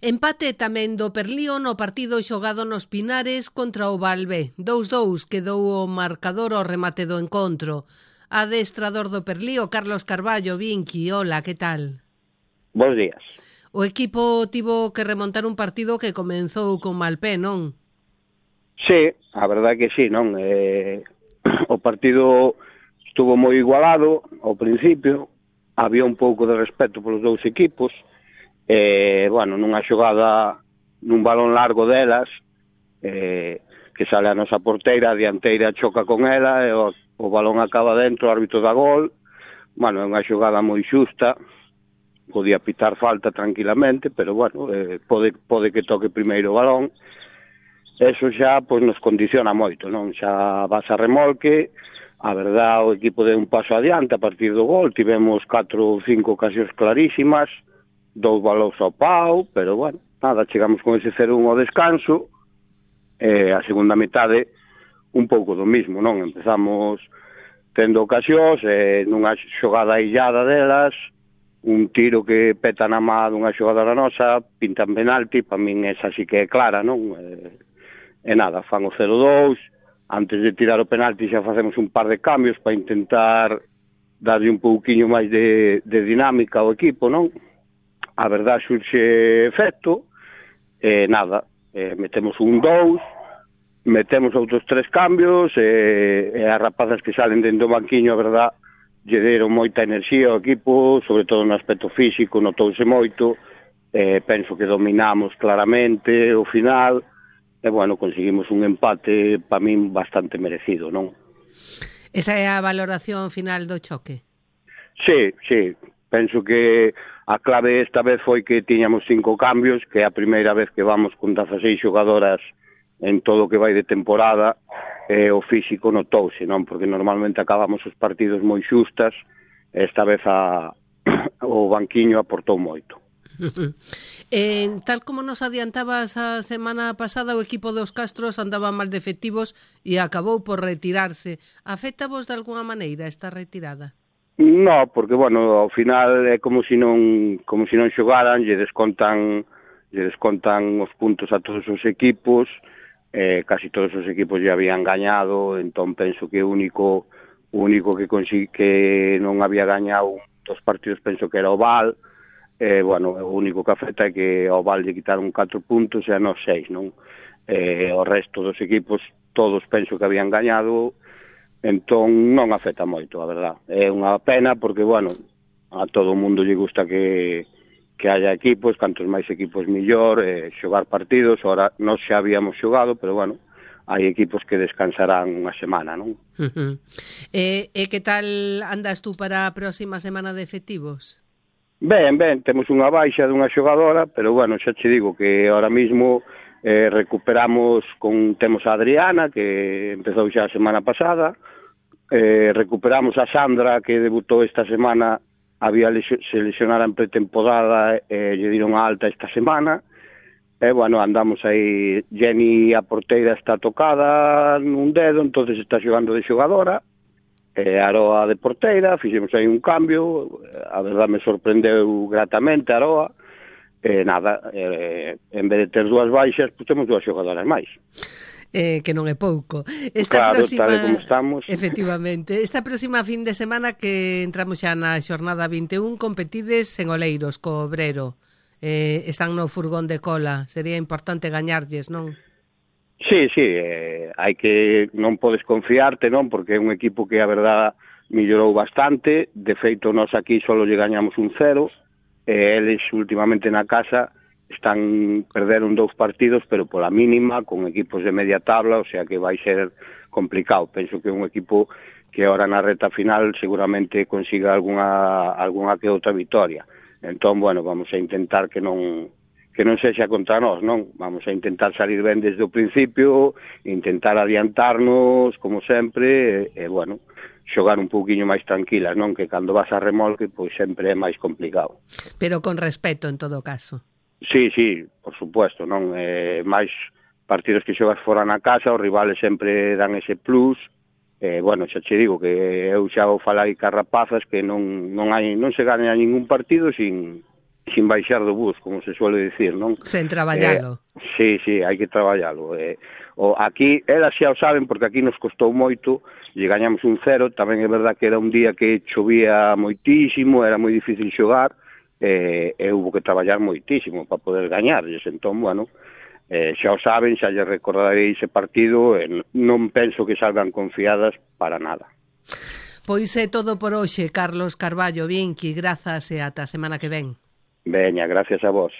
Empate tamén do Perlío no partido xogado nos Pinares contra o Valbe. 2-2 quedou o marcador ao remate do encontro. Adestrador do Perlío, Carlos Carballo, Vinqui, hola, que tal? Bos días. O equipo tivo que remontar un partido que comenzou con mal pé, non? Sí, a verdade que sí, non? O partido estuvo moi igualado ao principio, había un pouco de respeto polos dous equipos, bueno, nunha xogada nun balón largo delas, que sale a nosa porteira, a dianteira choca con ela, e o balón acaba dentro, o árbitro da gol. Bueno, é unha xogada moi xusta, podía pitar falta tranquilamente, pero bueno, pode que toque primeiro o balón. Eso xa pois nos condiciona moito, non? Xa vas a remolque, a verdad o equipo deu un paso adiante a partir do gol, tivemos 4 ou 5 ocasións clarísimas, 2 balóns ao pau, pero bueno, nada, chegamos con ese 0-1 ao descanso, a segunda metade un pouco do mismo, non? Empezamos tendo ocasións, nunha xogada illada delas, un tiro que peta na má dunha xogadora nosa, pintan penalti, para min esa sí que é clara, non? E nada, fan o 0-2, antes de tirar o penalti xa facemos un par de cambios para intentar darlle un pouquiño máis de dinámica ao equipo, non? A verdad surxe efecto, e nada, metemos un 2, metemos outros 3 cambios, e as rapazas que salen dentro do banquiño, a verdad, lle deron moita enerxía ao equipo, sobre todo no aspecto físico, notouse moito, penso que dominamos claramente o final, e, bueno, conseguimos un empate, para min, bastante merecido, non? Esa é a valoración final do choque? Sí, penso que a clave esta vez foi que tiñamos 5 cambios, que é a primeira vez que vamos con 16 xogadoras en todo o que vai de temporada, e o físico notouse, non? Porque normalmente acabamos os partidos moi xustas, e esta vez o banquiño aportou moito. Tal como nos adiantabas a semana pasada, o equipo dos Castros andaba mal de efectivos e acabou por retirarse. Afecta vos de alguna maneira esta retirada? No, porque, bueno, ao final é como se non xogaran, lle descontan os puntos a todos os equipos, casi todos os equipos ya habían gañado, entón penso que o único que non había gañado dos partidos penso que era o Val. Bueno, o único que afecta é que ao Val lle quitaron 4 puntos e a nos 6, non? O resto dos equipos todos penso que habían gañado, entón non afecta moito, a verdad. É unha pena porque, bueno, a todo o mundo lle gusta que haya equipos, cantos máis equipos millor, xogar partidos. Ahora nós xa habíamos xogado, pero, bueno, hai equipos que descansarán unha semana, non? E que tal andas tú para a próxima semana de efectivos? Ben, temos unha baixa dunha xogadora, pero, bueno, xa che digo que ahora mismo recuperamos temos a Adriana, que empezou xa a semana pasada, recuperamos a Sandra, que debutou esta semana, se lesionara en pretemporada, lle diron a alta esta semana, e, bueno, andamos aí. Jenny, a porteira, está tocada nun dedo, entonces está xogando de xogadora, Aroa de porteira, fixemos aí un cambio, a verdad me sorprendeu gratamente Aroa, nada, en vez de ter 2 baixas, pues temos 2 xogadoras máis. Que non é pouco. Claro, tal como estamos. Efectivamente. Esta próxima fin de semana que entramos xa na xornada 21, competides en Oleiros, co Obrero. Están no furgón de cola. Sería importante gañarlles, non? Sí, hai que, non podes confiarte, non? Porque é un equipo que, a verdad, mellorou bastante. De feito, nós aquí só lle gañamos un 0, e eles últimamente na casa perderon 2 partidos, pero pola mínima, con equipos de media tabla, o sea que vai ser complicado. Penso que é un equipo que ahora na reta final seguramente consiga algunha que outra victoria. Entón, bueno, vamos a intentar que non sexa contra nós, non? Vamos a intentar salir ben desde o principio, intentar adiantarnos, como sempre, e, bueno, xogar un pouquiño máis tranquilas, non? Que cando vas a remolque, pois sempre é máis complicado. Pero con respeto, en todo caso. Sí, por supuesto, non? Máis partidos que xogas fora na casa, os rivales sempre dan ese plus. Bueno, xa che digo que eu xa vou falar aí cas rapazas que non se gaña ningún partido sin sin baixar do bus, como se suele dicir, non? Sen traballalo. Sí, hai que traballalo. Aquí, elas xa o saben, porque aquí nos costou moito, e gañamos 1-0, tamén é verdad que era un día que chovía moitísimo, era moi difícil xogar, e hubo que traballar moitísimo para poder gañarlles, entón, bueno, xa o saben, xa lle recordarei ese partido, e non penso que salgan confiadas para nada. Pois é todo por hoxe, Carlos Carballo Bianchi, grazas e ata a semana que ven. Veña, gracias a vos.